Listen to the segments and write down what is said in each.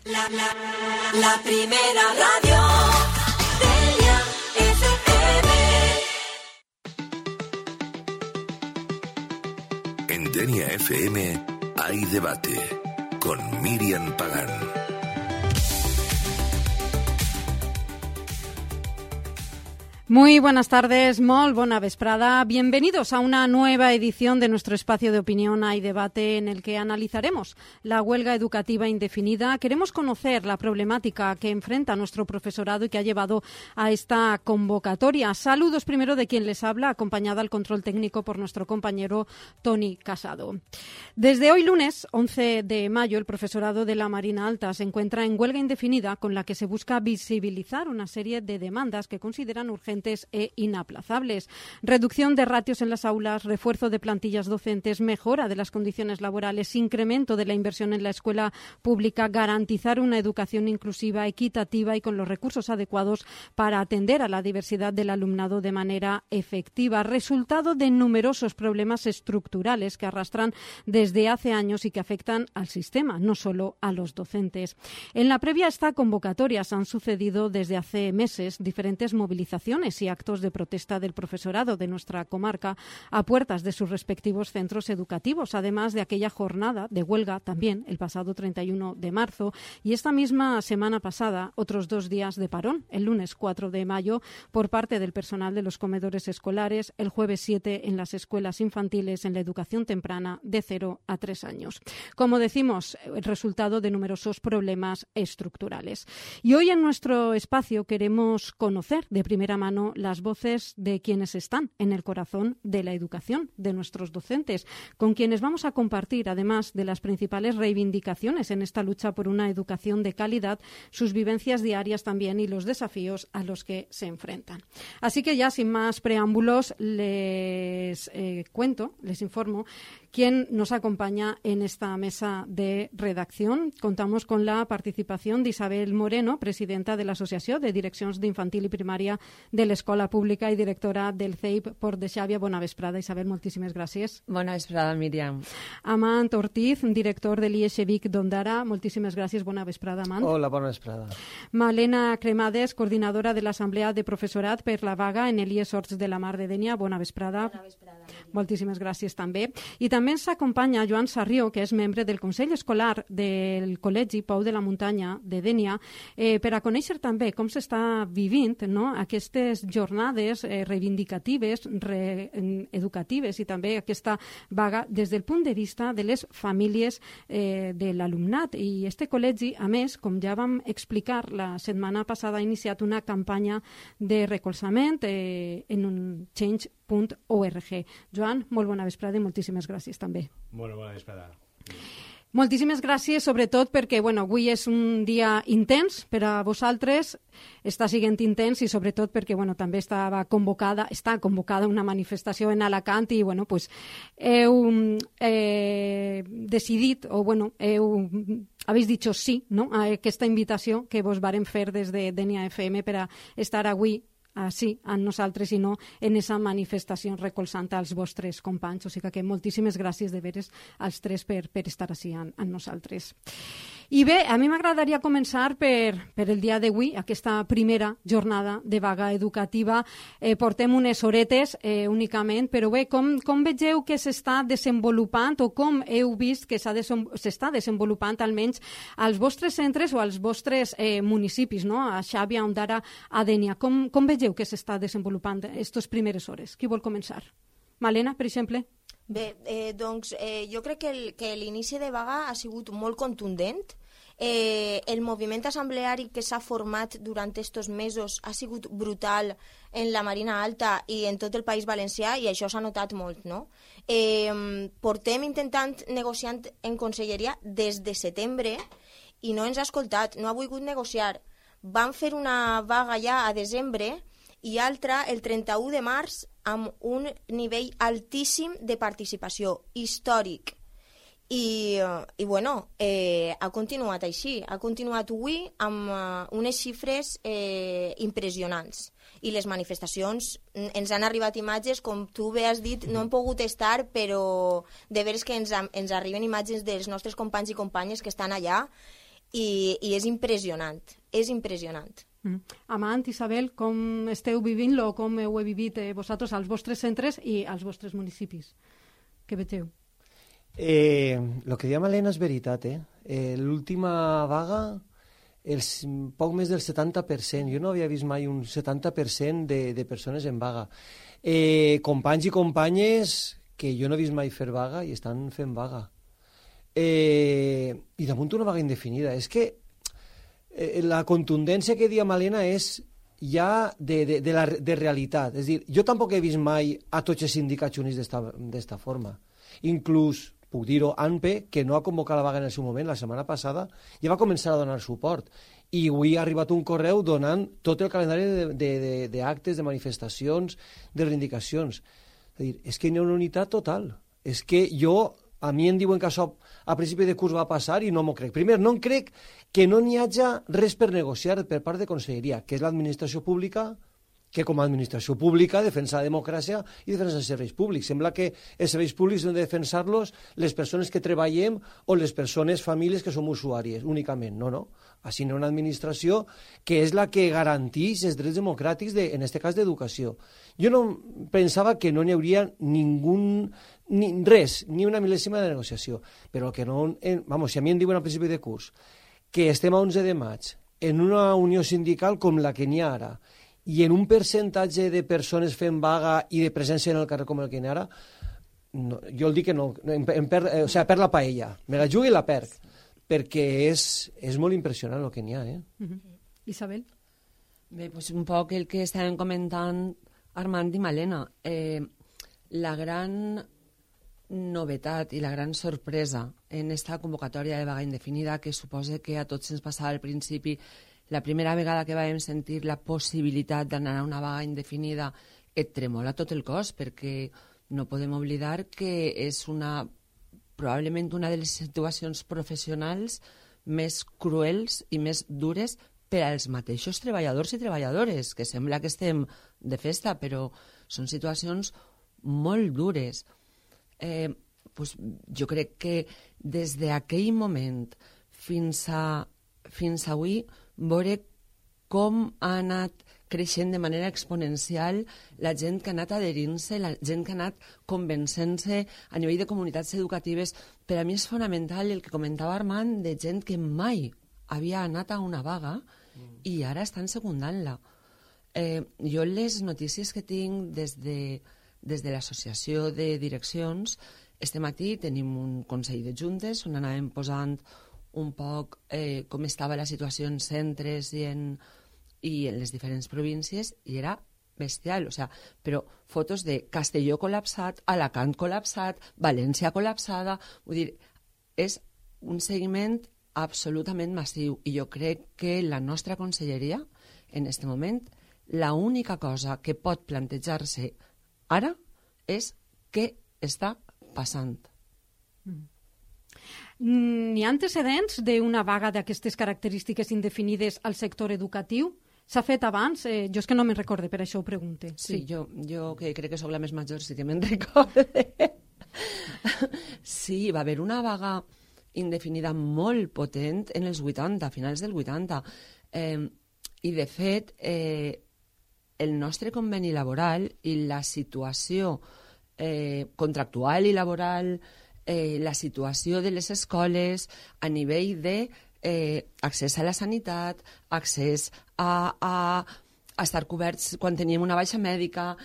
La primera radio Denia FM. En Denia FM hay debate con Miriam Pagán. Muy buenas tardes, molt bona vesprada. Bienvenidos a una nueva edición de nuestro espacio de opinión Hay Debate, en el que analizaremos la huelga educativa indefinida. Queremos conocer la problemática que enfrenta nuestro profesorado y que ha llevado a esta convocatoria. Saludos primero de quien les habla, acompañada al control técnico por nuestro compañero Toni Casado. Desde hoy lunes, 11 de mayo, el profesorado de la Marina Alta se encuentra en huelga indefinida, con la que se busca visibilizar una serie de demandas que consideran urgentes e inaplazables. Reducción de ratios en las aulas, refuerzo de plantillas docentes, mejora de las condiciones laborales, incremento de la inversión en la escuela pública, garantizar una educación inclusiva, equitativa y con los recursos adecuados para atender a la diversidad del alumnado de manera efectiva. Resultado de numerosos problemas estructurales que arrastran desde hace años y que afectan al sistema, no solo a los docentes. En la previa a esta convocatoria se han sucedido desde hace meses diferentes movilizaciones y actos de protesta del profesorado de nuestra comarca a puertas de sus respectivos centros educativos, además de aquella jornada de huelga también el pasado 31 de marzo y esta misma semana pasada otros 2 días de parón, el lunes 4 de mayo por parte del personal de los comedores escolares, el jueves 7 en las escuelas infantiles en la educación temprana de 0 a 3 años. Como decimos, el resultado de numerosos problemas estructurales. Y hoy en nuestro espacio queremos conocer de primera mano las voces de quienes están en el corazón de la educación, de nuestros docentes, con quienes vamos a compartir, además de las principales reivindicaciones en esta lucha por una educación de calidad, sus vivencias diarias también y los desafíos a los que se enfrentan. Así que ya sin más preámbulos les informo quién nos acompaña en esta mesa de redacción. Contamos con la participación de Isabel Moreno, presidenta de la Asociación de Direccions d'Infantil i Primària de l'Escola Pública i directora del CEIP Port de Xàbia. Bona vesprada, Isabel, moltíssimes gràcies. Bona vesprada, Míriam. Amant Ortiz, director de l'IES Vic d'Ondara. Moltíssimes gràcies, bona vesprada, Amant. Hola, bona vesprada. Malena Cremades, coordinadora de l'Assemblea de Professorat per la vaga en l'IES Horts de la Mar de Dénia. Bona vesprada. Bona vesprada. Moltíssimes gràcies també. I també ens acompanya Joan Sarrió, que és membre del Consell Escolar del Col·legi Pou de la Muntanya de Dénia, per a conèixer també com s'està vivint aquestes jornades reivindicatives, educatives i també aquesta vaga des del punt de vista de les famílies de l'alumnat. I este col·legi, a més, com ja vam explicar la setmana passada, ha iniciat una campanya de recolzament en un change.org. Joan, molt bona vesprada i moltíssimes gràcies també. Bona vesprada. Moltíssimes gràcies, sobretot perquè avui és un dia intens per a vosaltres, està sent intens i sobretot perquè també està convocada una manifestació en Alacant i heu decidit habéis dicho sí a aquesta invitació que vos varen fer des de Denia FM per a estar avui sí, amb nosaltres i no en aquesta manifestació recolzant als vostres companys. O sigui que moltíssimes gràcies de veres als tres per estar així amb nosaltres. I bé, a mi m'agradaria començar per el dia d'avui, aquesta primera jornada de vaga educativa. Portem unes horetes únicament, però bé, com vegeu que s'està desenvolupant o com heu vist que s'està desenvolupant almenys als vostres centres o als vostres municipis, a Xàbia, Ondara, a Dénia? Com vegeu que s'està desenvolupant aquestes primeres hores? Qui vol començar? Malena, per exemple? Bé, jo crec que l'inici de vaga ha sigut molt contundent. El moviment assembleari que s'ha format durant aquests mesos ha sigut brutal en la Marina Alta i en tot el País Valencià i això s'ha notat molt, no? Portem intentant negociant en conselleria des de setembre i no ens ha escoltat, no ha volgut negociar. Van fer una vaga ja a desembre i altra el 31 de març amb un nivell altíssim de participació, històric. I ha continuat així, ha continuat avui amb unes xifres impressionants. I les manifestacions, ens han arribat imatges, com tu bé has dit, no hem pogut estar, però de veres que ens arriben imatges dels nostres companys i companyes que estan allà i és impressionant, és impressionant. Amant, Isabel, com esteu vivint-lo, com heu vivit vosaltres als vostres centres i als vostres municipis? Què veteu? El que deia Malena és veritat, l'última vaga, poc més del 70%, jo no havia vist mai un 70% de persones en vaga. Companys i companyes que jo no he vist mai fer vaga i estan fent vaga. I damunt una vaga indefinida. És que la contundència que deia Malena és ja de realitat. És a dir, jo tampoc he vist mai a tots els sindicats units d'esta forma. Inclús, puc dir-ho, ANPE, que no ha convocat la vaga en el seu moment, la setmana passada, ja va començar a donar suport. I avui ha arribat un correu donant tot el calendari d'actes, de manifestacions, de reivindicacions. És a dir, és que hi ha una unitat total. És que a mi em diuen que això a principi de curs va passar i no m'ho crec. Primer, no em crec que no n'hi hagi res per negociar per part de Conselleria, que és l'administració pública, que com a administració pública defensa la democràcia i defensa els serveis públics. Sembla que els serveis públics han de defensar-los les persones que treballem o les persones, famílies que som usuàries, únicament. No. Així hi ha una administració que és la que garanteix els drets democràtics, en aquest cas d'educació. Jo no pensava que no n'hi hauria res, ni una mil·lèsima de negociació. Però que no... si a mi em diuen al principi de curs que estem a 11 de maig en una unió sindical com la que n'hi ha ara, i en un percentatge de persones fent vaga i de presència en el carrer com el que n'hi ha ara, no, jo el dic que no, per la paella, me la jugo i la perc, perquè és molt impressionant el que n'hi ha. Isabel? Bé, doncs un poc el que estàvem comentant Armand i Malena. La gran novetat i la gran sorpresa en esta convocatòria de vaga indefinida, que suposa que a tots ens passava al principi, la primera vegada que vam sentir la possibilitat d'anar a una vaga indefinida, et tremola tot el cos, perquè no podem oblidar que és probablement una de les situacions professionals més cruels i més dures per als mateixos treballadors i treballadores, que sembla que estem de festa, però són situacions molt dures. Jo crec que des d'aquell moment fins avui veure com ha anat creixent de manera exponencial la gent que ha anat adherint-se, la gent que ha anat convencent-se a nivell de comunitats educatives. Per a mi és fonamental el que comentava Armand, de gent que mai havia anat a una vaga i ara estan secundant-la. Jo les notícies que tinc des de l'associació de direccions, este matí tenim un consell de juntes on anàvem posant un poc com estava la situació en centres i en les diferents províncies, i era bestial, però fotos de Castelló col·lapsat, Alacant col·lapsat, València col·lapsada, vull dir, és un seguiment absolutament massiu, i jo crec que la nostra conselleria, en aquest moment, l'única cosa que pot plantejar-se ara és què està passant. N'hi ha antecedents d'una vaga d'aquestes característiques indefinides al sector educatiu? S'ha fet abans? Jo és que no me'n recorde, per això ho pregunte. Sí, jo que crec que sóc la més major sí que me'n recorde. Sí, va haver una vaga indefinida molt potent en els 80, a finals del 80. I, de fet, el nostre conveni laboral i la situació contractual i laboral, la situació de les escoles a nivell d'accés a la sanitat, accés a estar coberts quan teníem una baixa mèdica,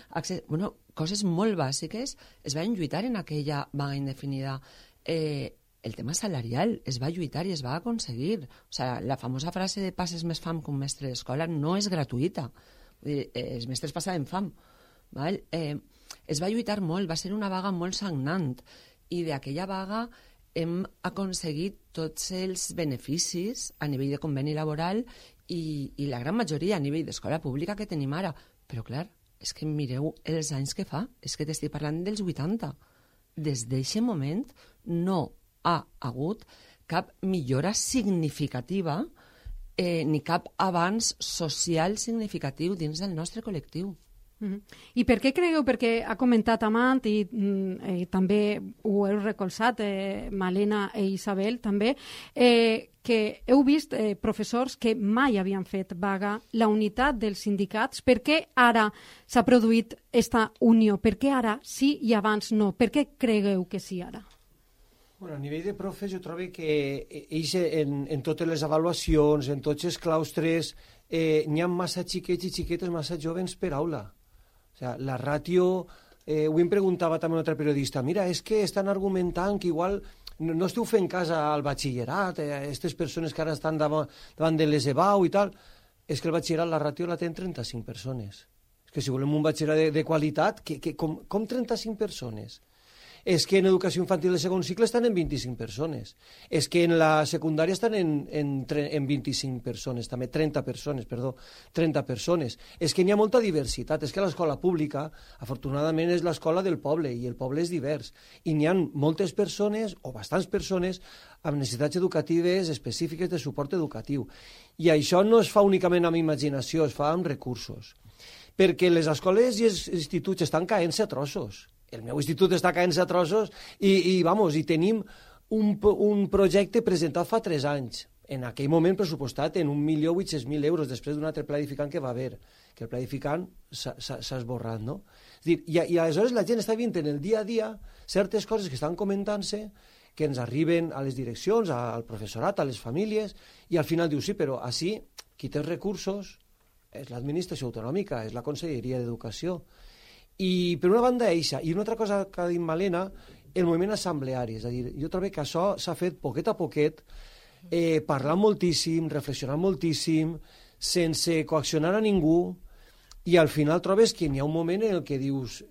coses molt bàsiques, es van lluitar en aquella vaga indefinida. El tema salarial es va lluitar i es va aconseguir. La famosa frase de passes més fam que un mestre d'escola no és gratuïta. Els mestres passaven fam. Es va lluitar molt, va ser una vaga molt sagnant, i d'aquella vaga hem aconseguit tots els beneficis a nivell de conveni laboral i la gran majoria a nivell d'escola pública que tenim ara. Però, clar, és que mireu els anys que fa, és que t'estic parlant dels 80. Des d'aquest moment no ha hagut cap millora significativa ni cap avanç social significatiu dins del nostre col·lectiu. I per què creieu, perquè ha comentat Amant i també ho heu recolzat, Malena i Isabel també, que heu vist professors que mai havien fet vaga, la unitat dels sindicats. Per què ara s'ha produït aquesta unió? Per què ara sí i abans no? Per què cregueu que sí ara? Bueno, a nivell de profes jo trobo que ells en totes les avaluacions, en tots els claustres, n'hi ha massa xiquets i xiquetes massa joves per aula. O sigui, la ràtio... Avui em preguntava també un altre periodista, mira, és que estan argumentant que igual no esteu fent cas al batxillerat, aquestes persones que ara estan davant de les EBAU i tal, és que el batxillerat, la ràtio la tenen 35 persones. És que si volem un batxillerat de qualitat, com 35 persones? És que en educació infantil de segon cicle estan en 25 persones. És que en la secundària estan en 25 persones, també 30 persones, perdó, 30 persones. És que n'hi ha molta diversitat. És que l'escola pública, afortunadament, és l'escola del poble, i el poble és divers. I n'hi ha moltes persones, o bastants persones, amb necessitats educatives específiques de suport educatiu. I això no es fa únicament amb imaginació, es fa amb recursos. Perquè les escoles i els instituts estan caent-se a trossos. El meu institut està caent-se a trossos i tenim un projecte presentat fa 3 anys, en aquell moment pressupostat en 1.800.000 euros, després d'un altre pla edificant que va haver, que el pla edificant s'ha esborrat, no? És dir, i aleshores la gent està veient en el dia a dia certes coses que estan comentant-se, que ens arriben a les direccions, al professorat, a les famílies, i al final diu, sí, però així qui té els recursos és l'administració autonòmica, és la Conselleria d'Educació. I per una banda eixa, i una altra cosa que ha dit Malena, el moviment assembleari, és a dir, jo trobo que això s'ha fet poquet a poquet, parlant moltíssim, reflexionant moltíssim, sense coaccionar a ningú, i al final trobes que n'hi ha un moment en el que dius,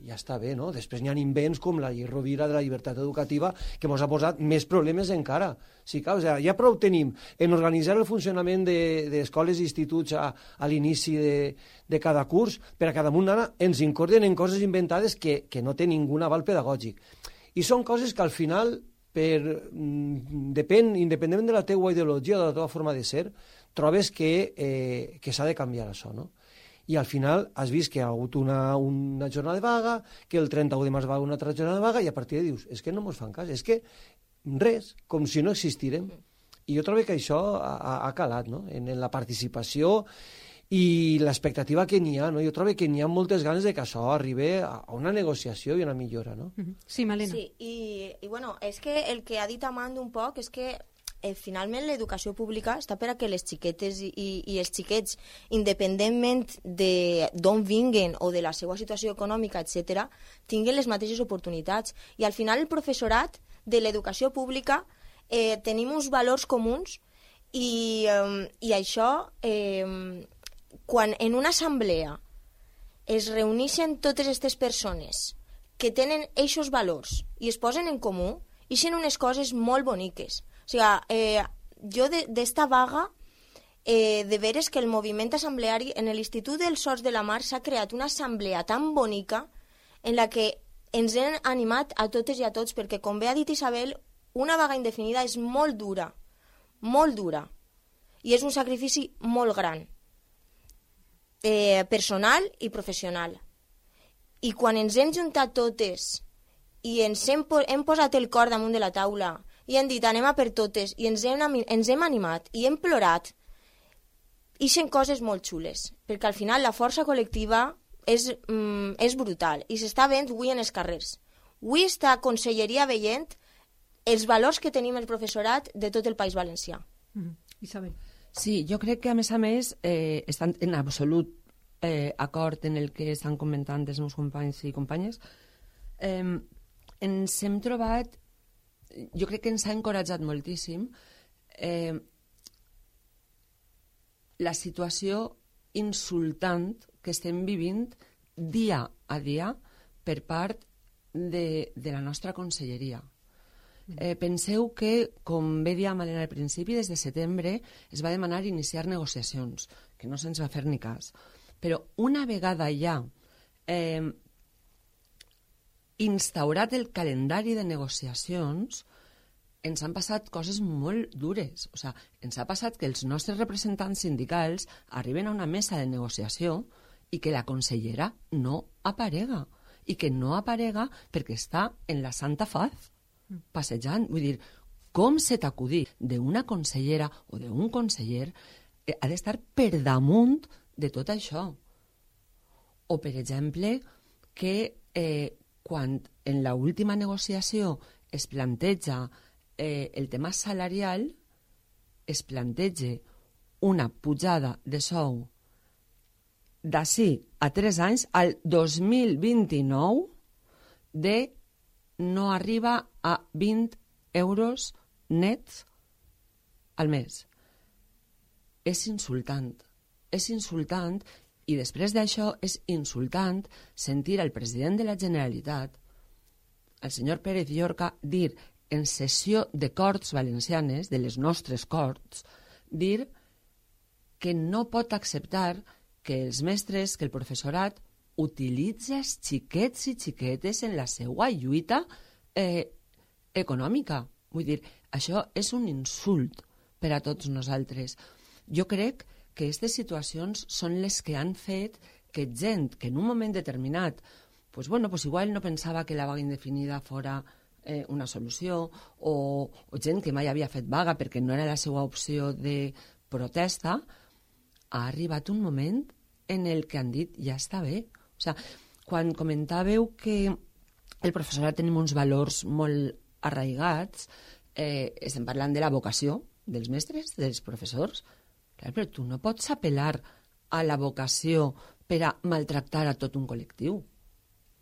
ja està bé, no? Després n'hi ha invents com la llei Rovira de la llibertat educativa que ens ha posat més problemes encara. Sí, clar, o sigui, ja prou tenim en organitzar el funcionament d'escoles i instituts a l'inici de cada curs, per a cada un ara ens incorden en coses inventades que no té ningú aval pedagògic. I són coses que al final, independentment de la teua ideologia o de la teva forma de ser, trobes que s'ha de canviar això, no? I al final has vist que hi ha hagut una jornada de vaga, que el 31 de març va haver una altra jornada de vaga, i a partir de dius, és que no ens fan cas, és que res, com si no existirem. I jo trobo que això ha calat, no?, en la participació i l'expectativa que n'hi ha, no? Jo trobo que n'hi ha moltes ganes de que això arribi a una negociació i una millora, no? Sí, Malena. Sí, i bueno, és que el que ha dit Amanda un poc és que finalment l'educació pública està per a que les xiquetes i els xiquets, independentment d'on vinguen o de la seva situació econòmica, etc., tinguin les mateixes oportunitats. I al final el professorat de l'educació pública tenim uns valors comuns i això, quan en una assemblea es reuneixen totes aquestes persones que tenen aquests valors i es posen en comú, ixen unes coses molt boniques. O sigui, jo d'esta vaga, de veres que el moviment assembleari en l'Institut dels Horts de la Mar s'ha creat una assemblea tan bonica en la que ens hem animat a totes i a tots, perquè, com bé ha dit Isabel, una vaga indefinida és molt dura, i és un sacrifici molt gran, personal i professional. I quan ens hem juntat totes i ens hem posat el cor damunt de la taula i hem dit anem a per totes i ens hem animat i hem plorat, ixen coses molt xules, perquè al final la força col·lectiva és brutal i s'està veient avui en els carrers. Avui està Conselleria veient els valors que tenim el professorat de tot el País Valencià. Isabel. Sí, jo crec que a més estan en absolut acord en el que estan comentant els meus companys i companyes. Ens hem trobat, jo crec que ens ha encoratjat moltíssim la situació insultant que estem vivint dia a dia per part de la nostra conselleria. Penseu que, com bé dia Malena al principi, des de setembre es va demanar iniciar negociacions, que no se'ns va fer ni cas. Però una vegada ja instaurat el calendari de negociacions, ens han passat coses molt dures. O sigui, ens ha passat que els nostres representants sindicals arriben a una mesa de negociació i que la consellera no aparega. I que no aparega perquè està en la Santa Faz, passejant. Vull dir, com se t'acudí d'una consellera o d'un conseller ha d'estar per damunt de tot això. O, per exemple, que quan en l'última negociació es planteja el tema salarial, es planteja una pujada de sou d'ací a 3 anys, al 2029, de no arriba a 20 euros nets al mes. És insultant. És insultant, i després d'això és insultant sentir al president de la Generalitat, el senyor Pérez Llorca, dir en sessió de Corts Valencianes, de les nostres Corts, dir que no pot acceptar que els mestres, que el professorat utilitza els xiquets i xiquetes en la seva lluita econòmica. Vull dir, això és un insult per a tots nosaltres. Jo crec que aquestes situacions són les que han fet que gent que en un moment determinat igual no pensava que la vaga indefinida fora una solució, o gent que mai havia fet vaga perquè no era la seva opció de protesta, ha arribat un moment en el que han dit ja està bé. O sigui, quan comentàveu que el professorat tenim uns valors molt arraigats, estem parlant de la vocació dels mestres, dels professors. Clar, però tu no pots apel·lar a la vocació per a maltractar a tot un col·lectiu. O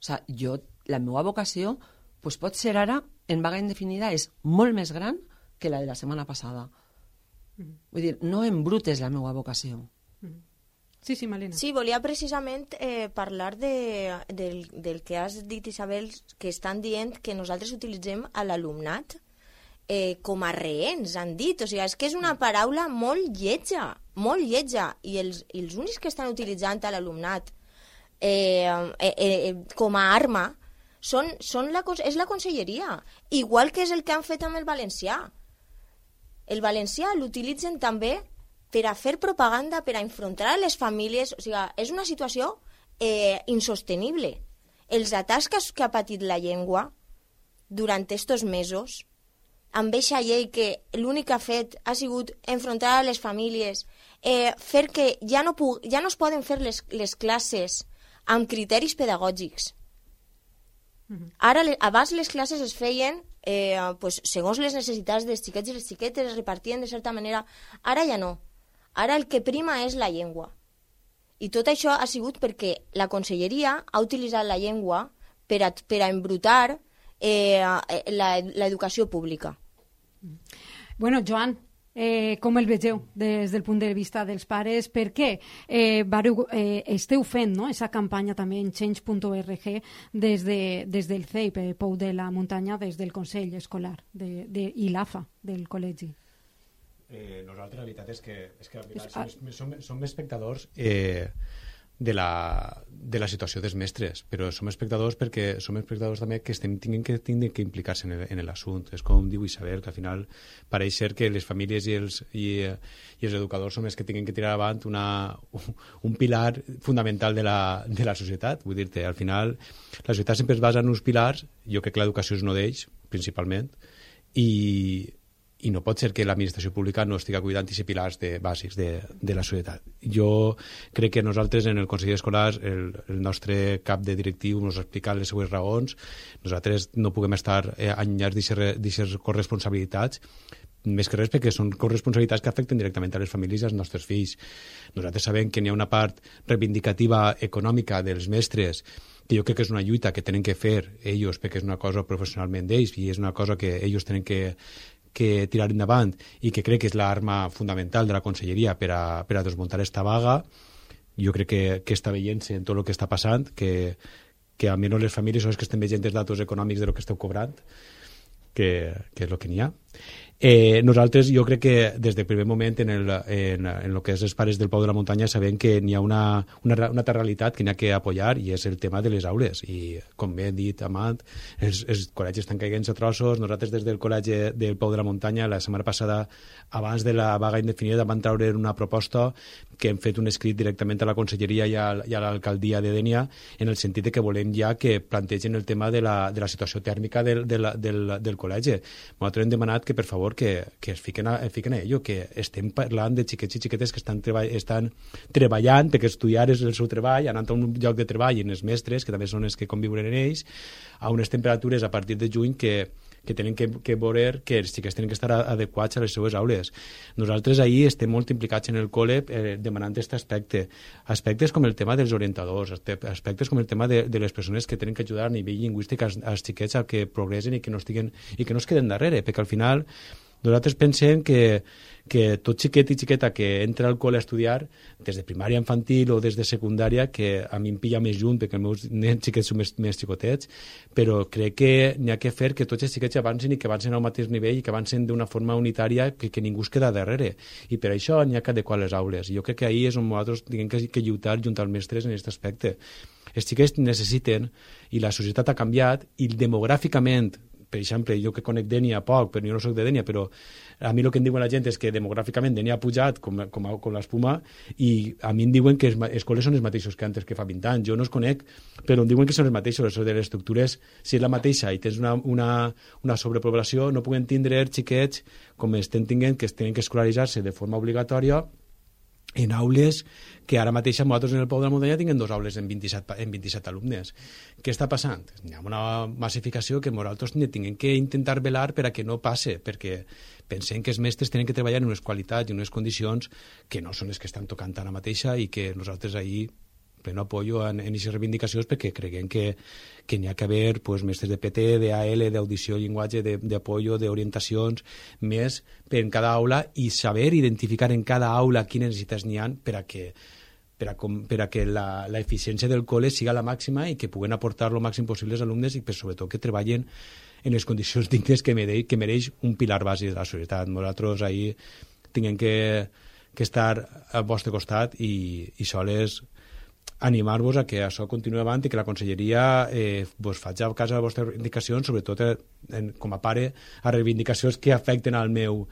sigui, la meva vocació pot ser ara, en vaga indefinida, és molt més gran que la de la setmana passada. Vull dir, no embrutes la meva vocació. Sí, Malena. Sí, volia precisament parlar del que has dit, Isabel, que estan dient que nosaltres utilitzem a l'alumnat com a reens, han dit. O sigui, és que és una paraula molt lletja, i els únics que estan utilitzant a l'alumnat com a arma és la conselleria, igual que és el que han fet amb el valencià. El valencià l'utilitzen també per a fer propaganda, per a enfrontar a les famílies. O sigui, és una situació insostenible. Els atacs que ha patit la llengua durant estos mesos, amb aquesta llei que l'únic que ha fet ha sigut enfrontar a les famílies, fer que ja no es poden fer les classes amb criteris pedagògics. Ara, abans les classes es feien segons les necessitats dels xiquets i les xiquetes, es repartien de certa manera. Ara ja no. Ara el que prima és la llengua. I tot això ha sigut perquè la conselleria ha utilitzat la llengua per a embrutar l'educació pública. Bueno, Joan, com el vegeu des del punt de vista dels pares? Per què esteu fent aquesta campanya també en change.org des del CEIP, Pou de la Muntanya, des del Consell Escolar i l'AFA del col·legi? Nosaltres la veritat és que som espectadors de la situació dels mestres, però som espectadors perquè som espectadors també que tinguin que implicar-se en l'assunt. És com diu Isabel, que al final pareix ser que les famílies i els educadors són els que tinguin que tirar avant un pilar fundamental de la societat. Vull dir-te, al final la societat sempre es basa en uns pilars, jo crec que l'educació és un d'ells, principalment, i no pot ser que l'administració pública no estigui cuidant aquests pilars bàsics de la societat. Jo crec que nosaltres en el Consell Escolar, el nostre cap de directiu ens ha explicat les seues raons. Nosaltres no puguem estar allunyats d'aquestes corresponsabilitats, més que res perquè són corresponsabilitats que afecten directament a les famílies i als nostres fills. Nosaltres sabem que n'hi ha una part reivindicativa econòmica dels mestres, que jo crec que és una lluita que tenen que fer ells perquè és una cosa professionalment d'ells i és una cosa que ells tenen que tirar endavant i que crec que és l'arma fundamental de la conselleria per a desmuntar esta vaga. Jo crec que està veient-se en tot el que està passant, que almenys les famílies són les que estem veient els datos econòmics de lo que esteu cobrant, que és el que n'hi ha. Nosaltres, jo crec que des del primer moment en el que és els pares del Pau de la Muntanya sabem que n'hi ha una altra realitat que n'hi ha que apoyar i és el tema de les aules. I, com bé he dit, Amat, els col·legis estan caient a trossos. Nosaltres des del col·legi del Pau de la Muntanya la setmana passada, abans de la vaga indefinida, van treure una proposta que hem fet un escrit directament a la Conselleria i a l'alcaldia de Dénia en el sentit de que volem ja que plantegen el tema de la situació tèrmica del col·legi. Nosaltres hem demanat que, per favor, que es fiquen a ello, que estem parlant de xiquets i xiquetes que estan treballant, perquè estudiar és el seu treball, anant a un lloc de treball, i els mestres, que també són els que conviuen en ells, a unes temperatures a partir de juny que tenen que veure que els xiquets tenen que estar adequats a les seues aules. Nosaltres ahir estem molt implicats en el col·le demanant aquest aspecte. Aspectes com el tema dels orientadors, aspectes com el tema de les persones que tenen que ajudar a nivell lingüístic als xiquets a que progressen i que no es queden darrere, perquè al final nosaltres pensem que tot xiquet i xiqueta que entra al col·le a estudiar, des de primària infantil o des de secundària, que a mi em pilla més junt perquè els meus nens xiquets són més xicotets, però crec que n'hi ha que fer que tots els xiquets avancin i que avancin al mateix nivell i que avancin d'una forma unitària que ningú es queda darrere. I per això n'hi ha que adequar les aules. I jo crec que ahir és on nosaltres tenim que lluitar junt als mestres en aquest aspecte. Els xiquets necessiten, i la societat ha canviat, i demogràficament, per exemple, jo que conec Dénia poc, però jo no soc de Dénia, però a mi el que em diuen la gent és que demogràficament Dénia ha pujat com l'espuma, i a mi em diuen que els col·les són els mateixos que antes, que fa 20 anys. Jo no els conec, però em diuen que són els mateixos. Això de les estructures, si és la mateixa i tens una sobrepoblació, no puguem tindre xiquets com estem tinguent, que es tenen que escolaritzar-se de forma obligatòria en aules que ara mateix nosaltres en el Pau de la Muntanya tinguem 2 aules en 27 alumnes. Què està passant? Hi ha una massificació que nosaltres tinguem que intentar velar per a que no passe, perquè pensem que els mestres tenen que treballar en unes qualitats i en unes condicions que no són les que estan tocant ara mateixa i que nosaltres ahir pleno apoyo en aquestes reivindicacions, perquè creiem que n'hi ha que haver mestres de PT, d'AL, d'audició, llenguatge, d'apoyo, d'orientacions, més per en cada aula i saber identificar en cada aula quines necessitats n'hi ha per a que l'eficiència del col·le siga la màxima i que puguen aportar el màxim possible als alumnes i sobretot que treballen en les condicions dignes que mereix un pilar bàsic de la societat. Nosaltres ahir tinguem que estar al vostre costat i sols animar-vos a que això continuï avant i que la Conselleria faci a casa de les vostres reivindicacions, sobretot com a pare, a reivindicacions que afecten al meu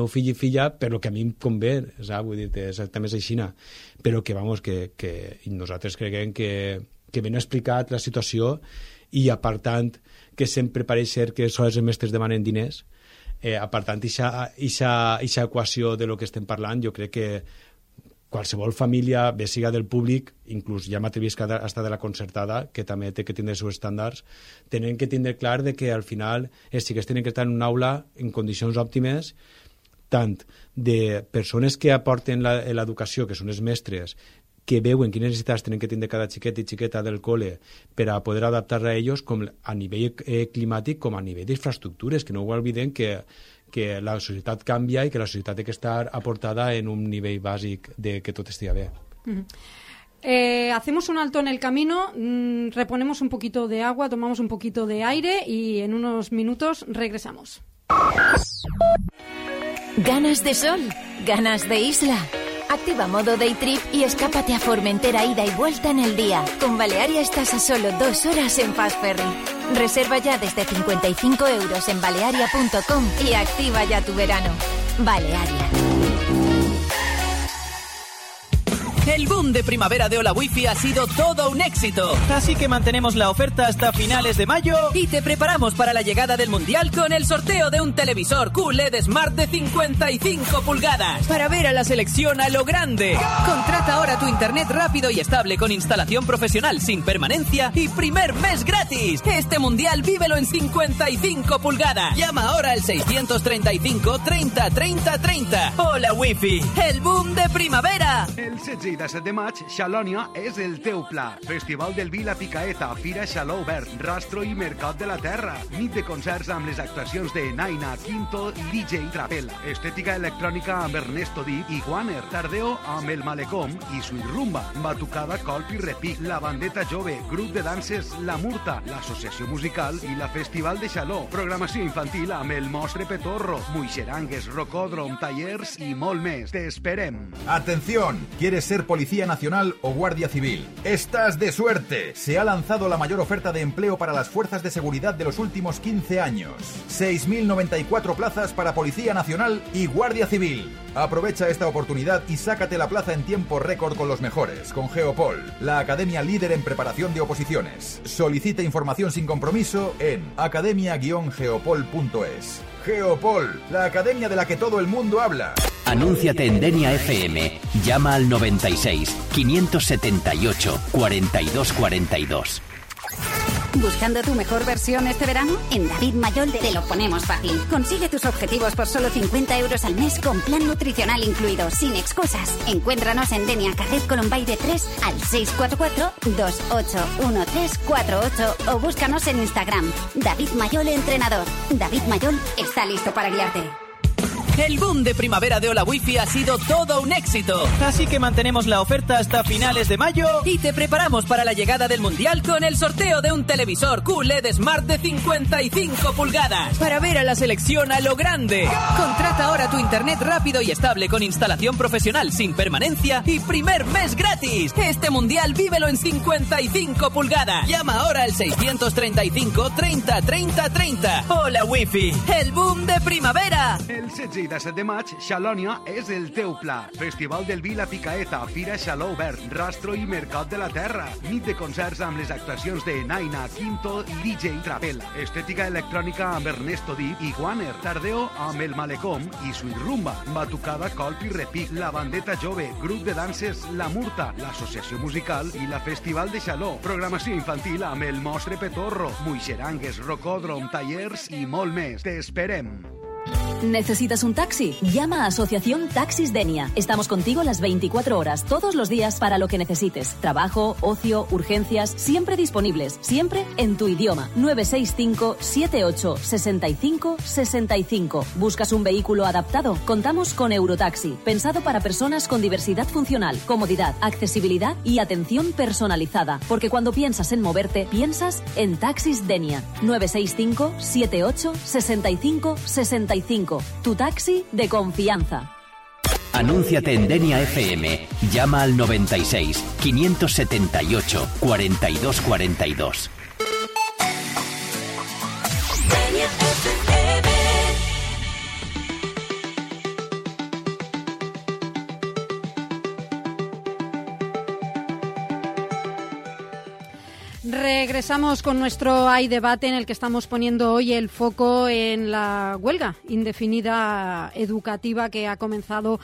fill i filla per lo que a mi em convé, saps? Vull dir, també és aixina, però que nosaltres creiem que ben explicat la situació i apartant que sempre pareix ser que sols els mestres demanen diners, apartant aquesta equació de lo que estem parlant, jo crec que qualsevol família, bé siga del públic, inclús ja m'atrevis que hasta de la concertada, que també té que tindre els seus estàndards, tenen que tindre clar de que al final els xiquets tenen que estar en una aula en condicions òptimes, tant de persones que aporten l'educació, que són els mestres, que veuen quines necessitats tenen que tindre cada xiquet i xiqueta del col·le per a poder adaptar-se a ells, com a nivell climàtic com a nivell d'infraestructures, que no ho oblidem que la societat canvia i que la societat té que estar aportada en un nivell bàsic de que tot estigui bé. Hacemos un alto en el camino, reponemos un poquito de agua, tomamos un poquito de aire y en unos minutos regresamos. ¿Ganas de sol? ¿Ganas de isla? Activa modo Day Trip y escápate a Formentera ida y vuelta en el día. Con Balearia estás a solo 2 horas en Fast Ferry. Reserva ya desde 55 € en balearia.com y activa ya tu verano. Balearia. El boom de primavera de Hola Wifi ha sido todo un éxito. Así que mantenemos la oferta hasta finales de mayo. Y te preparamos para la llegada del Mundial con el sorteo de un televisor QLED Smart de 55 pulgadas. Para ver a la selección a lo grande. Contrata ahora tu internet rápido y estable con instalación profesional sin permanencia y primer mes gratis. Este Mundial vívelo en 55 pulgadas. Llama ahora al 635 30 30 30. Hola Wifi, el boom de primavera. Primavera. El 16 i 17 de maig, Xalònia és el teu pla. Festival del vi La Picaeta, Fira Xaló Obert, Rastro i Mercat de la Terra. Nit de concerts amb les actuacions de Naina, Quinto i DJ Trapel. Estètica electrònica amb Ernesto Dip i Guaner. Tardeo amb El Malecom i Sweet Rumba. Batucada, colp i repic. La Bandeta Jove, grup de danses La Murta, l'Associació Musical i la Festival de Xaló. Programació infantil amb El Mostre Petorro, Muixerangues, Rocòdrom, tallers i molt més. Te esperem. Atención, ¿quieres ser Policía Nacional o Guardia Civil? ¡Estás de suerte! Se ha lanzado la mayor oferta de empleo para las fuerzas de seguridad de los últimos 15 años. 6.094 plazas para Policía Nacional y Guardia Civil. Aprovecha esta oportunidad y sácate la plaza en tiempo récord con los mejores, con Geopol, la academia líder en preparación de oposiciones. Solicita información sin compromiso en academia-geopol.es. Geopol, la academia de la que todo el mundo habla. Anúnciate en Denia FM. Llama al 96 578 42 42. ¿Buscando tu mejor versión este verano? En David Mayol te lo ponemos fácil. Consigue tus objetivos por solo 50 euros al mes con plan nutricional incluido, sin excusas. Encuéntranos en Denia, Carrer Colombaide 3 al 644-281348 o búscanos en Instagram. David Mayol, entrenador. David Mayol está listo para guiarte. El boom de primavera de Hola Wifi ha sido todo un éxito. Así que mantenemos la oferta hasta finales de mayo. Y te preparamos para la llegada del Mundial con el sorteo de un televisor QLED Smart de 55 pulgadas. Para ver a la selección a lo grande. Contrata ahora tu internet rápido y estable con instalación profesional sin permanencia y primer mes gratis. Este Mundial vívelo en 55 pulgadas. Llama ahora al 635 30 30 30. Hola Wifi, el boom de primavera. El 16 i 17 de maig, Xalònia és el teu pla. Festival del vi La Picaeta, Fira Xaló Obert, Rastro i Mercat de la Terra. Nit de concerts amb les actuacions de Naina, Quinto i DJ Trapel. Estètica electrònica amb Ernesto Dip i Guaner. Tardeo amb El Malecom i Sweet Rumba. Batucada, colp i repic. La Bandeta Jove, grup de danses La Murta, l'Associació Musical i la Festival de Xaló. Programació infantil amb El Mostre Petorro, Muixerangues, Rocòdrom, tallers i molt més. Te esperem. ¿Necesitas un taxi? Llama a Asociación Taxis Denia. Estamos contigo las 24 horas, todos los días, para lo que necesites. Trabajo, ocio, urgencias, siempre disponibles, siempre en tu idioma. 965 78 65 65. ¿Buscas un vehículo adaptado? Contamos con Eurotaxi, pensado para personas con diversidad funcional, comodidad, accesibilidad y atención personalizada. Porque cuando piensas en moverte, piensas en Taxis Denia. 965 78 65 65. Tu taxi de confianza. Anúnciate en Denia FM. Llama al 96 578 42 42. Denia FM. Regresamos con nuestro Hay Debate, en el que estamos poniendo hoy el foco en la huelga indefinida educativa que ha comenzado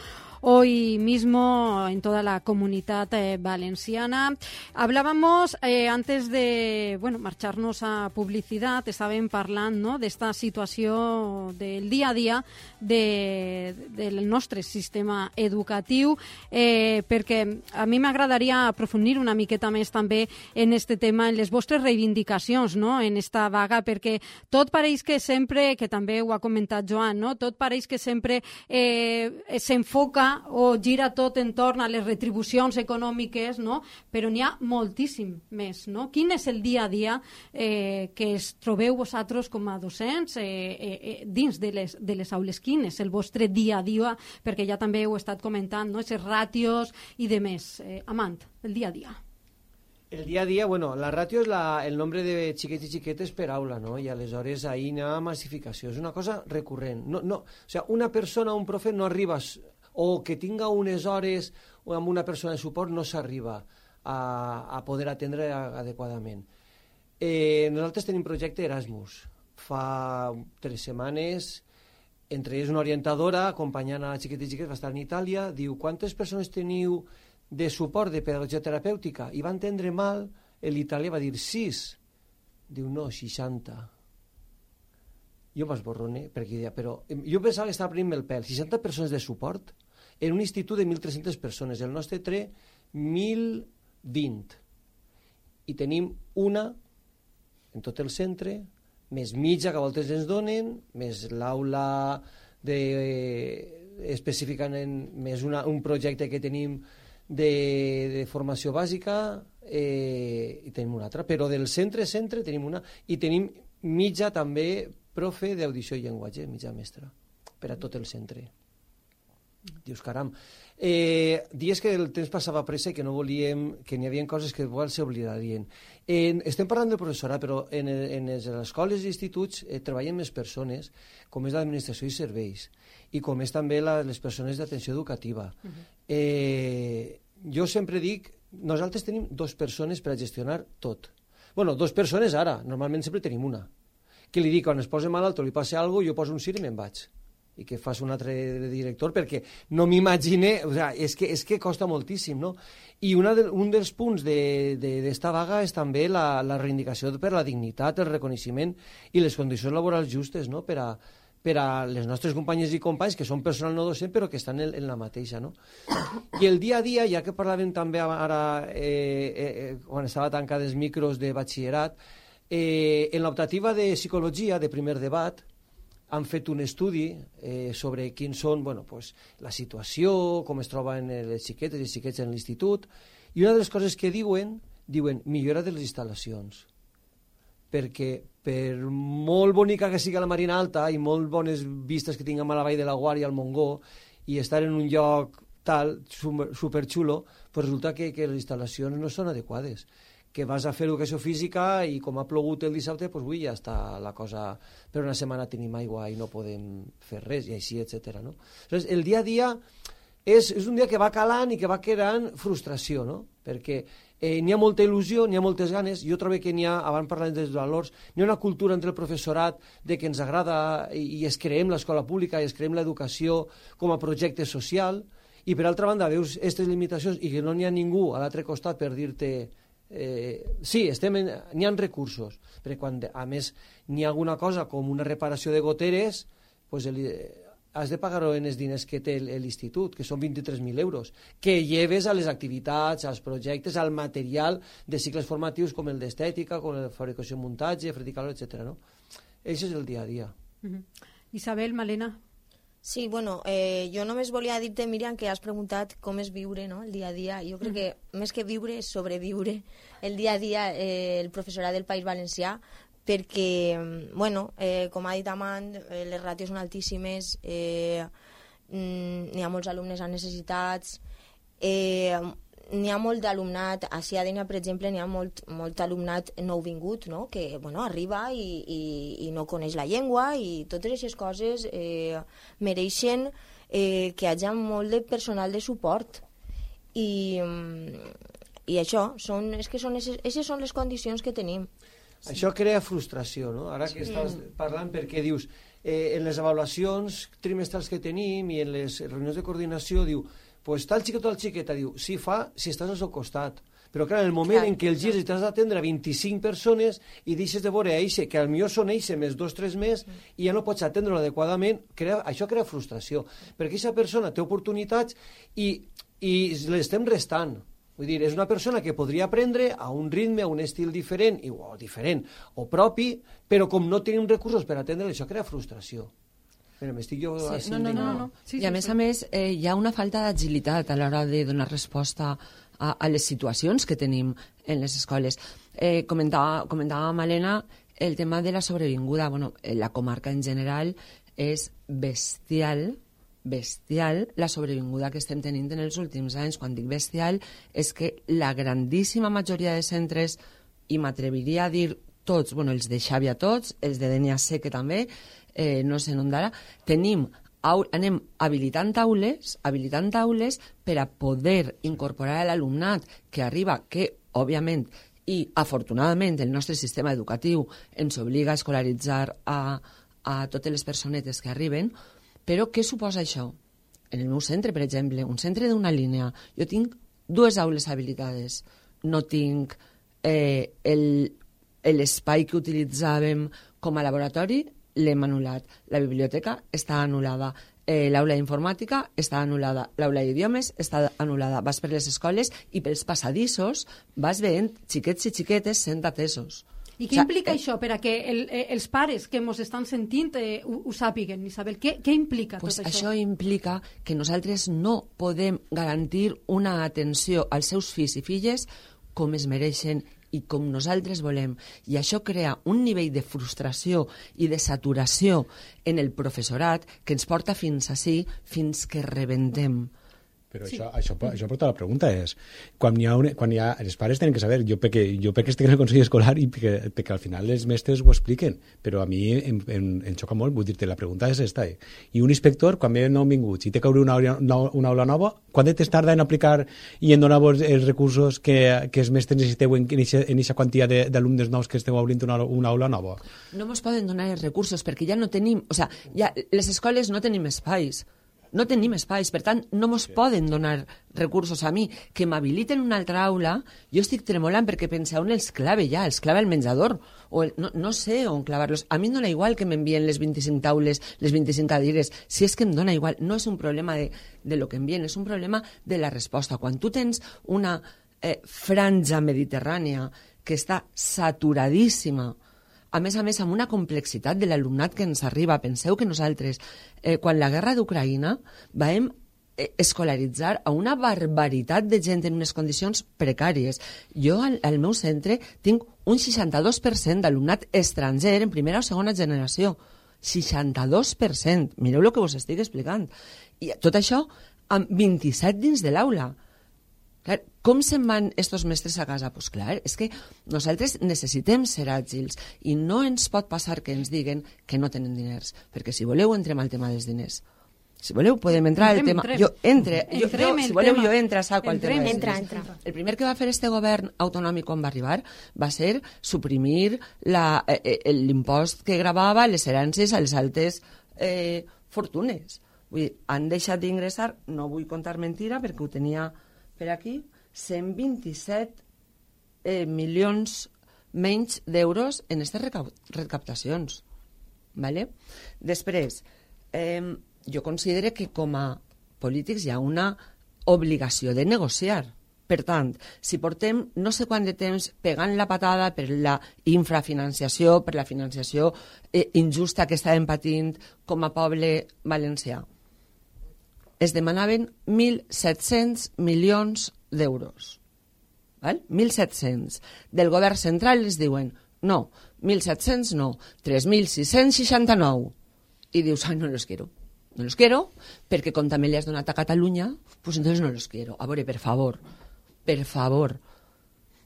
hoy mismo en toda la comunidad valenciana. Hablábamos antes de marxar-nos a publicitat, estàvem parlant, no?, d'esta situació del dia a dia del nostre sistema educatiu, perquè a mi m'agradaria aprofundir una miqueta més també en este tema, en les vostres reivindicacions, no?, en esta vaga, perquè tot pareix que sempre, que també ho ha comentat Joan, no?, tot pareix que sempre s'enfoca o gira tot entorn a les retribucions econòmiques, no? Però n'hi ha moltíssim més, no? Quin és el dia a dia que es trobeu vosaltres com a docents dins de les aules? Quin és el vostre dia a dia? Perquè ja també heu estat comentant, no?, aquests ràtios i de més. Amant, el dia a dia. El dia a dia, la ràtio és el nombre de xiquets i xiquetes per aula, no? I aleshores ahir hi ha massificació. És una cosa recurrent. O sigui, una persona, un profe, no arriba, o que tinga unes hores amb una persona de suport, no s'arriba a poder atendre adequadament. Nosaltres tenim projecte Erasmus. Fa 3 setmanes, entre ells una orientadora, acompanyant a xiquets i xiquetes, va estar en Itàlia, diu, quantes persones teniu de suport de pedagogia terapèutica? I va entendre mal, l'italià va dir 6. Diu, no, 60. Jo m'esborrone, perquè deia, però jo pensava que estava prenent el pèl. 60 persones de suport? en un institut de 1.300 persones. El nostre té 1.020. I tenim una en tot el centre, més mitja que a voltes ens donen, més l'aula específicament, més un projecte que tenim de formació bàsica, i tenim una altra. Però del centre tenim una, i tenim mitja també profe d'audició i llenguatge, mitja mestra, per a tot el centre. Dius, caram, dies que el temps passava pressa i que no volíem, que n'hi havia coses que igual s'oblidarien. Estem parlant del professorat, però en les escoles i instituts treballen més persones, com és l'administració i serveis, i com és també les persones d'atenció educativa. Jo sempre dic, nosaltres tenim 2 persones per a gestionar tot. Bueno, 2 persones ara, normalment sempre tenim una. Que li dic, quan es posa malalt o li passa alguna cosa, jo poso un CIR i me'n vaig. I que fas un altre director, perquè no m'imagine, o sigui, és que costa moltíssim, no? I un dels punts d'esta vaga és també la reivindicació per la dignitat, el reconeixement i les condicions laborals justes, no?, per a les nostres companyes i companys, que són personal no docent, però que estan en la mateixa, no? I el dia a dia, ja que parlàvem també ara, quan estava tancats els micros de batxillerat, en l'optativa de psicologia, de primer debat, han fet un estudi sobre quins són, la situació, com es troben les xiquetes i xiquets en l'institut, i una de les coses que diuen millora de les instal·lacions, perquè per molt bonica que sigui la Marina Alta i molt bones vistes que tinguem a la Vall de la Guàrdia, al Montgó, i estar en un lloc tal, superxulo, pues resulta que les instal·lacions no són adequades, que vas a fer educació física i com ha plogut el dissabte, doncs avui ja està la cosa, per una setmana tenim aigua i no podem fer res, i així, etc. No? Aleshores, el dia a dia és un dia que va calant i que va creant frustració, no? Perquè n'hi ha molta il·lusió, n'hi ha moltes ganes, jo trobo que n'hi ha, abans parlant dels valors, n'hi ha una cultura entre el professorat de que ens agrada i es creem l'escola pública i es creem l'educació com a projecte social, i per altra banda veus aquestes limitacions i que no n'hi ha ningú a l'altre costat per dir-te sí, n'hi ha recursos, perquè quan a més n'hi ha alguna cosa com una reparació de goteres, pues has de pagar-ho en els diners que té l'institut, que són 23.000 euros, que lleves a les activitats, als projectes, al material de cicles formatius com el d'estètica, com el de fabricació i muntatge, vertical, etc. No? Això és el dia a dia. Isabel, Malena. Sí, jo només volia dir-te, Míriam, que has preguntat com és viure, no?, el dia a dia. Jo crec que més que viure és sobreviure el dia a dia el professorat del País Valencià, perquè, com ha dit Amand, les ràtios són altíssimes, n'hi ha molts alumnes amb necessitats, n'hi ha molt d'alumnat, a Ciadenia, per exemple, n'hi ha molt alumnat nouvingut, no?, que arriba i no coneix la llengua, i totes aquestes coses mereixen que hi hagi molt de personal de suport. I això, aquestes són les condicions que tenim. Això crea frustració, no? Ara que estàs parlant, perquè dius, en les avaluacions trimestrals que tenim i en les reunions de coordinació, diu, pues tal xiquet o tal xiqueta, diu, sí fa si estàs al seu costat, però clar, en el moment en què el gires i t'has d'atendre a 25 persones i deixes de veure eixe, que al millor són eixe més 2 o 3 més, i ja no pots atendre-lo adequadament, això crea frustració, perquè aquesta persona té oportunitats i l'estem restant. Vull dir, és una persona que podria aprendre a un ritme, a un estil diferent, o propi, però com no tenim recursos per atendre, això crea frustració. Però m'estic jo... No. I a més, hi ha una falta d'agilitat a l'hora de donar resposta a les situacions que tenim en les escoles. Comentava Malena el tema de la sobrevinguda. La comarca en general és bestial la sobrevinguda que estem tenint en els últims anys. Quan dic bestial és que la grandíssima majoria de centres, i m'atreviria a dir tots, els de Xàbia tots, els de Dénia sé que també, no sé on d'ara, anem habilitant taules per a poder incorporar a l'alumnat que arriba, que òbviament i afortunadament el nostre sistema educatiu ens obliga a escolaritzar a totes les personetes que arriben. Però què suposa això? En el meu centre, per exemple, un centre d'una línia, jo tinc 2 aules habilitades, no tinc l'espai que utilitzàvem com a laboratori, l'hem anul·lat. La biblioteca està anul·lada. l'aula d'informàtica està anul·lada, l'aula d'idiomes està anul·lada, vas per les escoles i pels passadissos vas veient xiquets i xiquetes sent atesos. I què implica això per a que els pares que ens estan sentint ho sàpiguen, Isabel? Què implica tot això? Això implica que nosaltres no podem garantir una atenció als seus fills i filles com es mereixen i com nosaltres volem. I això crea un nivell de frustració i de saturació en el professorat que ens porta fins ací, fins que rebentem. Però això porta la pregunta és, quan hi ha els pares tenen que saber, jo perquè estic en el Consell Escolar i perquè al final els mestres ho expliquen, però a mi em xoca molt, vull dir-te, la pregunta és esta. I un inspector, quan ve nou vinguts i té que obrir una aula nova, quant de temps tarda en aplicar i en donar els recursos que els mestres necessiteu en aquesta quantitat d'alumnes nous que esteu obrint una aula nova? No ens poden donar els recursos perquè ja no tenim, les escoles no tenim espais. No tenim espais, per tant, no ens poden donar recursos a mi. Que m'habiliten una altra aula, jo estic tremolant perquè pensa on els clave ja, els clave al menjador, o no sé on clavar-los. A mi em dona igual que m'envien les 25 taules, les 25 cadires, si és que em dona igual. No és un problema de lo que envien, és un problema de la resposta. Quan tu tens una franja mediterrània que està saturadíssima, a més, amb una complexitat de l'alumnat que ens arriba. Penseu que nosaltres, quan la guerra d'Ucraïna, vam escolaritzar a una barbaritat de gent en unes condicions precàries. Jo, al meu centre, tinc un 62% d'alumnat estranger en primera o segona generació. 62%. Mireu el que us estic explicant. I tot això amb 27 dins de l'aula. Clar, com se'n van estos mestres a casa? Pues clar, és que nosaltres necessitem ser àgils i no ens pot passar que ens diguen que no tenen diners, perquè si voleu entrem al tema dels diners. Si voleu podem entrar al tema... Si voleu jo entro a saco al tema dels diners. El primer que va fer este govern autonòmic quan va arribar va ser suprimir l'impost que gravava les herències a les altes fortunes. Vull dir, han deixat d'ingressar, no vull contar mentira perquè ho tenia per aquí, 127 milions menys d'euros en aquestes recaptacions. Vale? Després, jo considero que com a polítics hi ha una obligació de negociar. Per tant, si portem no sé quant de temps pegant la patada per la infrafinanciació, per la financiació injusta que estàvem patint com a poble valencià, es demanaven 1.700 milions d'euros. 1.700. Del govern central els diuen, no, 1.700 no, 3.669. I dius, no los quiero. No los quiero, perquè com també li has donat a Catalunya, pues entonces no los quiero. A veure, per favor.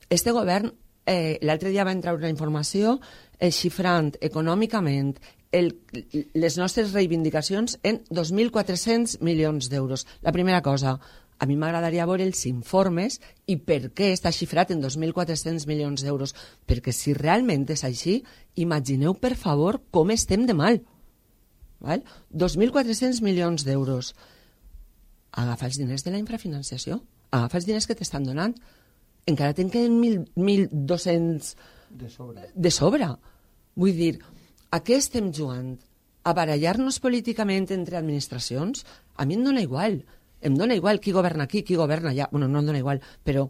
Este govern, l'altre dia va entrar una informació xifrant econòmicament les nostres reivindicacions en 2.400 milions d'euros. La primera cosa, a mi m'agradaria veure els informes i per què està xifrat en 2.400 milions d'euros. Perquè si realment és així, imagineu, per favor, com estem de mal. 2.400 milions d'euros. Agafa els diners de la infrafinanciació. Agafa els diners que t'estan donant. Encara te'n queden 1.200 de sobre. Vull dir, a què estem jugant? A barallar-nos políticament entre administracions? A mi em dona igual. Em dona igual qui governa aquí, qui governa allà. Bueno, no em dona igual, però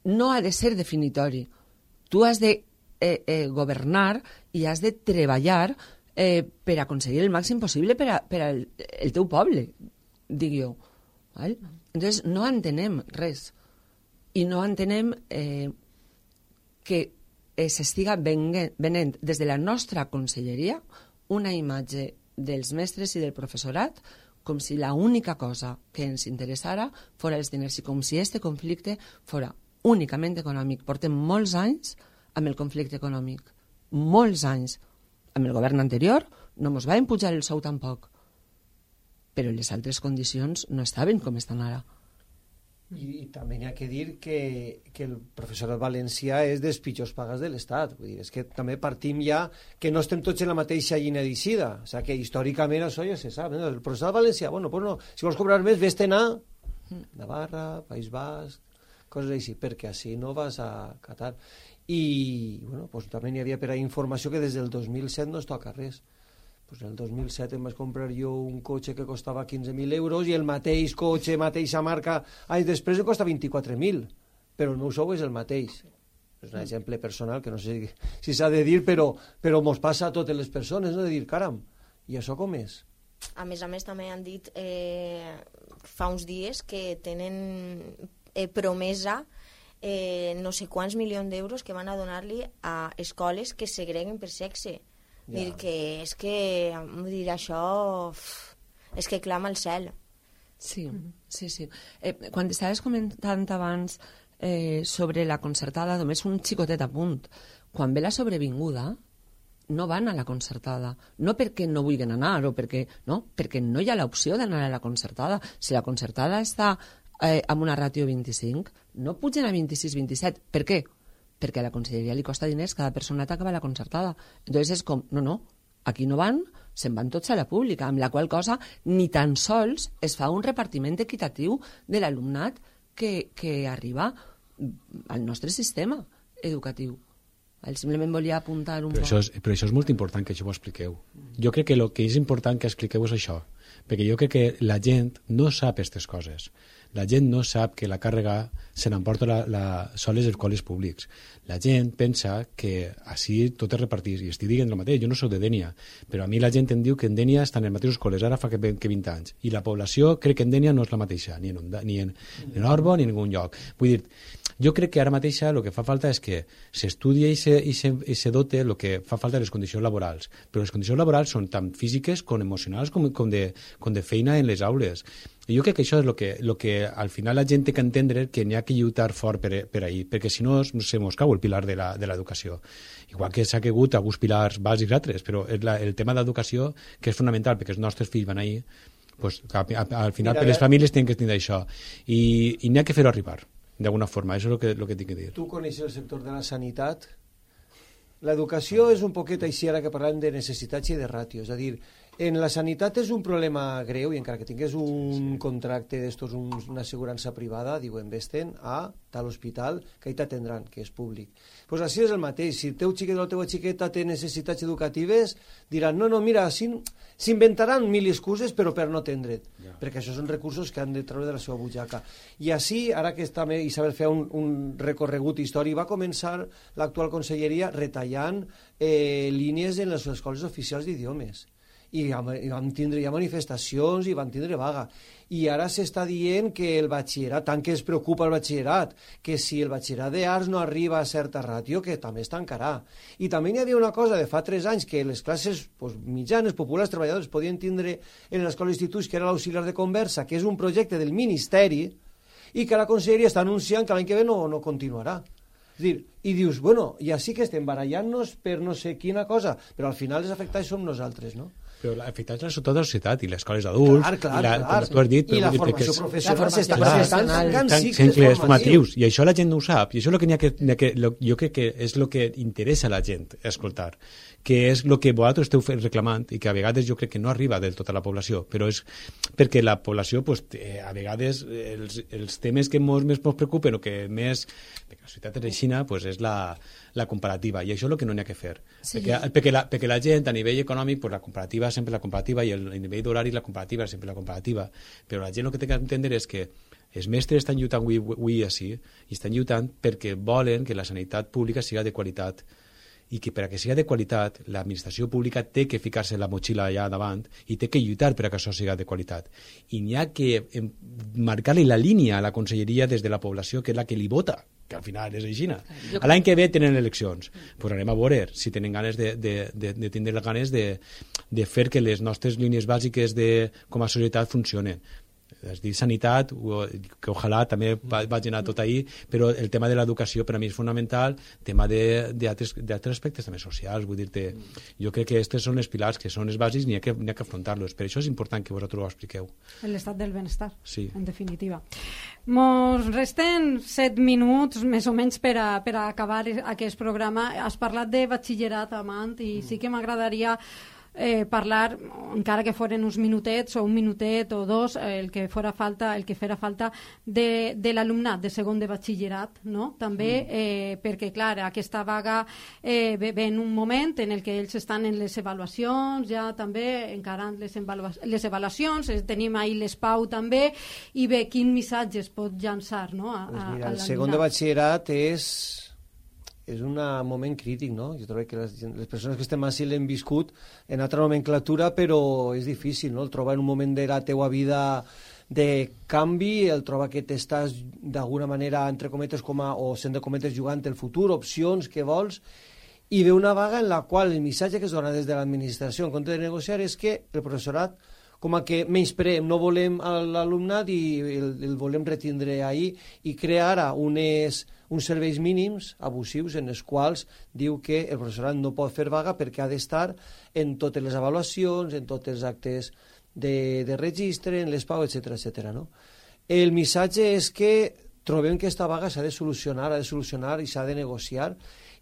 no ha de ser definitori. Tu has de governar i has de treballar per aconseguir el màxim possible per al teu poble, dic jo. Entonces, no entenem res. I no entenem que s'estiga venent des de la nostra conselleria una imatge dels mestres i del professorat com si l'única cosa que ens interessara fora els diners i com si este conflicte fora únicament econòmic. Portem molts anys amb el conflicte econòmic. Molts anys. Amb el govern anterior no ens va impujar el sou tampoc. Però les altres condicions no estaven com estan ara. I també hi ha que dir que el professorat valencià és dels pitjors pagas de l'Estat. Vull dir, és que també partim ja que no estem tots en la mateixa llina d'eixida. O sigui, que històricament això ja se sap. El professorat valencià, bueno, pues no, si vols cobrar més, vés-te'n a Navarra, País Basc, coses així, perquè així no vas a Qatar. i bueno, pues, també n'hi havia per a informació que des del 2007 no es toca res. Pues el 2007 em vaig comprar jo un cotxe que costava 15.000 euros i el mateix cotxe, mateixa marca, anys després em costa 24.000, però el meu sou és el mateix. És un exemple personal que no sé si s'ha de dir, però mos passa a totes les persones, no? De dir, caram, i això com és? A més, també han dit fa uns dies que tenen promesa no sé quants milions d'euros que van a donar-li a escoles que segreguen per sexe. Dir que és que dir això és que clama al cel. Sí. Quan estaves comentant abans sobre la concertada, només un xicotet a punt. Quan ve la sobrevinguda, no van a la concertada. No perquè no vulguin anar, o perquè no hi ha l'opció d'anar a la concertada. Si la concertada està amb una ràtio 25, no pugen a 26-27. Per què? Perquè a la conselleria li costa diners cada personat que va a la concertada. Entonces és com, no, aquí no van, se'n van tots a la pública, amb la qual cosa ni tan sols es fa un repartiment equitatiu de l'alumnat que arriba al nostre sistema educatiu. Simplement volia apuntar un poc. Però això és molt important que això ho expliqueu. Jo crec que el que és important que expliqueu és això, perquè jo crec que la gent no sap aquestes coses. La gent no sap que la càrrega se n'emporta soles els col·legis públics. La gent pensa que així tot es repartís, i estic dient el mateix, jo no soc de Dénia, però a mi la gent em diu que en Dénia estan en els mateixos col·les ara fa que 20 anys, i la població crec que en Dénia no és la mateixa, ni en Orbo ni en ningun lloc. Vull dir, jo crec que ara mateixa el que fa falta és que s'estudia i se dote el que fa falta les condicions laborals, però les condicions laborals són tant físiques com emocionals com de feina en les aules. I jo crec que això és el que al final la gent té que entendre, que n'hi ha que lluitar fort per ahir, perquè si no se mos cau el pilar de l'educació. Igual que s'ha caigut alguns pilars bàsics altres, però el tema de l'educació, que és fonamental, perquè els nostres fills van ahir, pues, al final per les famílies tenen que tenir això. I n'hi ha que fer-ho arribar, d'alguna forma, això és el que tinc que dir. Tu coneixes el sector de la sanitat? L'educació és un poquet així, ara que parlem de necessitats i de ràtios, és a dir, en la sanitat és un problema greu i encara que tingués un contracte d'estos, una assegurança privada, diuen, vés-te'n a tal hospital que hi t'atendran, que és públic. Doncs així és el mateix. Si el teu xiquet o la teva xiqueta té necessitats educatives, diran, no, mira, s'inventaran mil excuses però per no atendre't, perquè això són recursos que han de treure de la seva butxaca. I així, ara que també Isabel feia un recorregut històric, va començar l'actual conselleria retallant línies en les escoles oficials d'idiomes. I vam tindre ja manifestacions i vam tindre vaga. I ara s'està dient que el batxillerat, tant que es preocupa el batxillerat, que si el batxillerat d'arts no arriba a certa ràtio, que també es tancarà. I també hi havia una cosa de fa 3 anys, que les classes mitjanes, populars, treballadors, podien tindre en l'escola d'instituts, que era l'auxiliar de conversa, que és un projecte del Ministeri, i que la conselleria està anunciant que l'any que ve no continuarà. És dir, i dius, bueno, ja sí que estem barallant-nos per no sé quina cosa, però al final els afectats som nosaltres, no? Però l'afectat és tota la societat, i les escoles d'adults, tu has dit, i la formació professional s'estan tancant cicles formatius, i això la gent no ho sap, i això és el que jo crec que és el que interessa a la gent escoltar, que és el que vosaltres esteu reclamant i que a vegades jo crec que no arriba del tot a la població, però és perquè la població, a vegades, els temes que més ens preocupen o que més, perquè la societat és aixina, és la comparativa, i això és el que no n'hi ha que fer. Perquè la gent, a nivell econòmic, la comparativa és sempre la comparativa, i a nivell d'horari la comparativa és sempre la comparativa, però la gent el que té que entendre és que els mestres estan lluitant avui així, i estan lluitant perquè volen que la sanitat pública siga de qualitat, i que perquè siga de qualitat l'administració pública té que ficar-se la motxilla allà davant i té que lluitar perquè això siga de qualitat, i n'hi ha que marcar-li la línia a la conselleria des de la població, que és la que li vota, que al final és així. L'any que ve tenen eleccions, doncs anem a veure si tenen ganes de tindre les ganes de fer que les nostres línies bàsiques com a societat funcionen. És dir, sanitat, que ojalà també vagi anar tot ahir, però el tema de l'educació per a mi és fonamental, tema d'altres aspectes també socials, vull dir-te, jo crec que aquests són els pilars que són els bàsics, n'hi ha que afrontar-los, per això és important que vosaltres ho expliqueu. L'estat del benestar, sí. En definitiva. Mos resten 7 minuts, més o menys, per a acabar aquest programa. Has parlat de batxillerat, Amant, i sí que m'agradaria parlar, encara que foren uns minutets o un minutet o dos, el que fera falta de l'alumnat de segon de batxillerat, no? També perquè, clar, aquesta vaga ve en un moment en el que ells estan en les avaluacions, ja també encarant les avaluacions, tenim ahir l'ESPAU també, i bé, quin missatge es pot llançar, no? El segon de batxillerat és un moment crític, no? Jo trobo que les persones que estem així l'hem viscut en altra nomenclatura, però és difícil, no? El trobar en un moment de la teua vida de canvi, el trobar que t'estàs d'alguna manera, entre cometes, o sent de cometes, jugant el futur, opcions que vols, i ve una vaga en la qual el missatge que es dona des de l'administració en compte de negociar és que el professorat com a que menyspreem, no volem l'alumnat i el volem retindre ahir i crear ara uns serveis mínims abusius en els quals diu que el professorat no pot fer vaga perquè ha d'estar en totes les avaluacions, en tots els actes de registre, en l'ESPAU, etc. No? El missatge és que trobem que aquesta vaga s'ha de solucionar i s'ha de negociar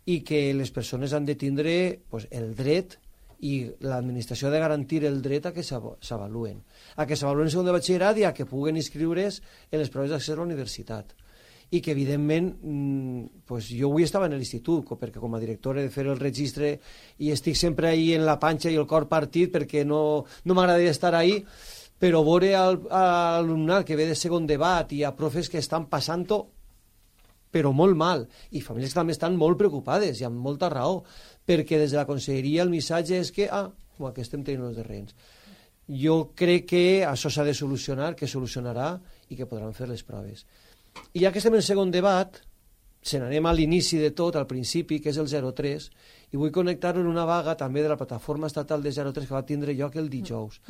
i que les persones han de tindre el dret i l'administració ha de garantir el dret a que s'avaluen. A que s'avaluen en segon de batxillerat i a que puguen inscriure's en les proves d'accés a la universitat. I que, evidentment, jo avui estava en l'institut, perquè com a director he de fer el registre i estic sempre ahí en la panxa i el cor partit perquè no m'agradaria estar ahí, però veure l'alumnat que ve de segon debat i a profes que estan passant-ho però molt mal, i famílies que també estan molt preocupades i amb molta raó, perquè des de la conselleria el missatge és que que estem tenint els terrenys. Jo crec que això s'ha de solucionar, que solucionarà i que podran fer les proves. I ja que estem en el segon debat, se n'anem a l'inici de tot, al principi, que és el 03, i vull connectar-ho en una vaga també de la plataforma estatal de 03 que va tindre lloc el dijous.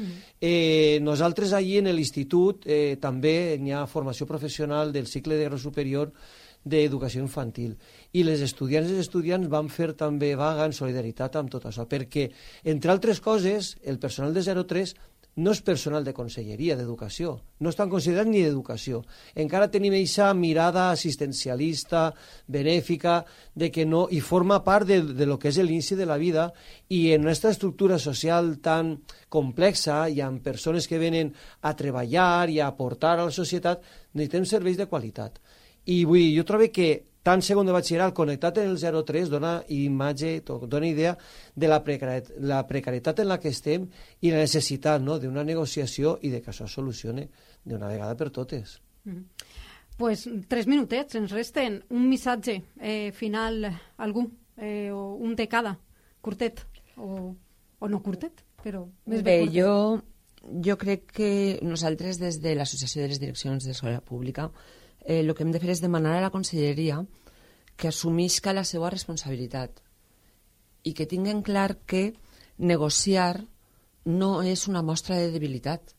Nosaltres allí en l'institut també hi ha formació professional del cicle de grau superior d'educació infantil i les estudiants i els estudiants van fer també vaga en solidaritat amb tot això perquè, entre altres coses, el personal de 03 no és personal de conselleria d'educació, no estan considerats ni d'educació, encara tenim aquesta mirada assistencialista, benèfica, de que no, i forma part de lo que és l'inici de la vida, i en aquesta estructura social tan complexa i amb persones que venen a treballar i a aportar a la societat, necessitem serveis de qualitat. I jo trobo que tant segon de batxillerat connectat en el 03 dona imatge, dona idea de la precarietat en la que estem i la necessitat d'una negociació i de que això es solucioni d'una vegada per totes. Pues 3 minutets ens resten. Un missatge final, algú, o un de cada, curtet o no curtet, però més bé curtet. Jo crec que nosaltres des de l'Associació de les Direccions d'Escola Pública el que hem de fer és demanar a la conselleria que assumisca la seva responsabilitat i que tinguen clar que negociar no és una mostra de debilitat.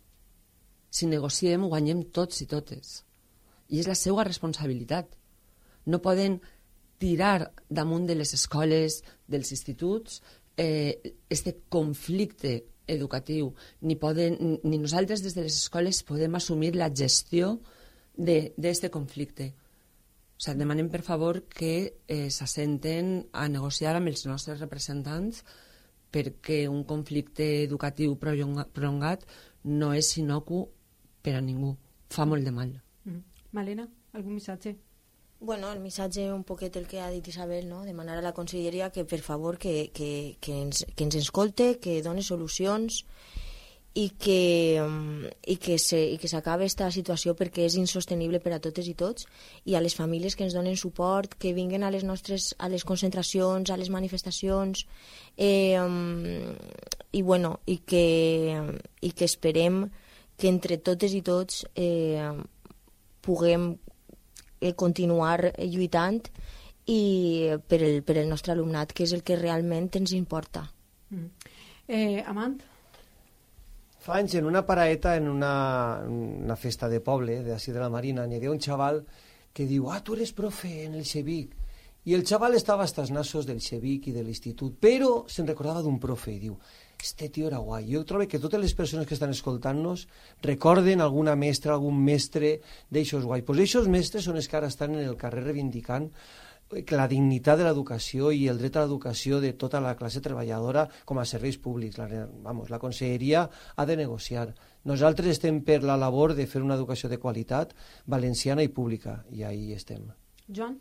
Si negociem, guanyem tots i totes. I és la seva responsabilitat. No poden tirar damunt de les escoles, dels instituts, este conflicte educatiu. Ni nosaltres des de les escoles podem assumir la gestió d'aquest conflicte. O sigui, demanem, per favor, que s'assenten a negociar amb els nostres representants perquè un conflicte educatiu prolongat no és inocu per a ningú. Fa molt de mal. Malena, algun missatge? Bueno, el missatge un poquet el que ha dit Isabel, no? Demanar a la conselleria que, per favor, que ens escolte, que doni solucions i que s'acabi aquesta situació perquè és insostenible per a totes i tots, i a les famílies que ens donen suport, que vinguen a les concentracions, a les manifestacions, i que esperem que entre totes i tots puguem continuar lluitant per el nostre alumnat, que és el que realment ens importa. Amant? Fa anys, en una paraeta, en una festa de poble, d'ací de la Marina, n'hi havia un xaval que diu, tu eres profe en el Xevic. I el xaval estava hasta els nassos del Xevic i de l'institut, però se'n recordava d'un profe i diu, este tio era guai. Jo trobo que totes les persones que estan escoltant-nos recorden alguna mestra, algun mestre d'eixos guai. Pues eixos mestres són els que ara estan en el carrer reivindicant la dignitat de l'educació i el dret a l'educació de tota la classe treballadora com a serveis públics. La Conselleria ha de negociar. Nosaltres estem per la labor de fer una educació de qualitat valenciana i pública, i ahí estem. Joan?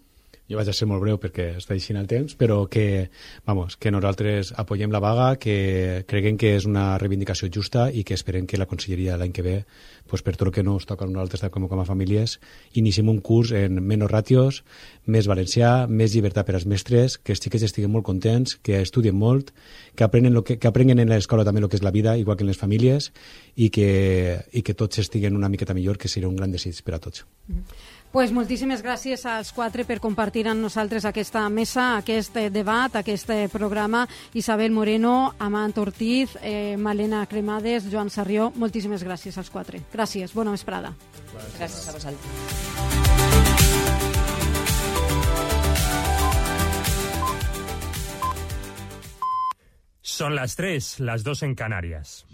Jo vaig a ser molt breu perquè està així el temps, però que nosaltres apoyem la vaga, que creguem que és una reivindicació justa i que esperem que la Conselleria l'any que ve, per tot el que no ens toca a nosaltres com a famílies, iniciem un curs en menys ràtios, més valencià, més llibertat per als mestres, que els xiquets estiguen molt contents, que estudien molt, que aprenguen en l'escola també el que és la vida, igual que en les famílies, i que tots estiguen una miqueta millor, que seria un gran desig per a tots. Pues moltíssimes gràcies als 4 per compartir amb nosaltres aquesta mesa, aquest debat, aquest programa. Isabel Moreno, Amant Ortiz, Malena Cremades, Joan Sarrió, moltíssimes gràcies als 4. Gràcies, bona vesprada. Gràcies a vosaltres. Son las 3, las 2 en Canarias.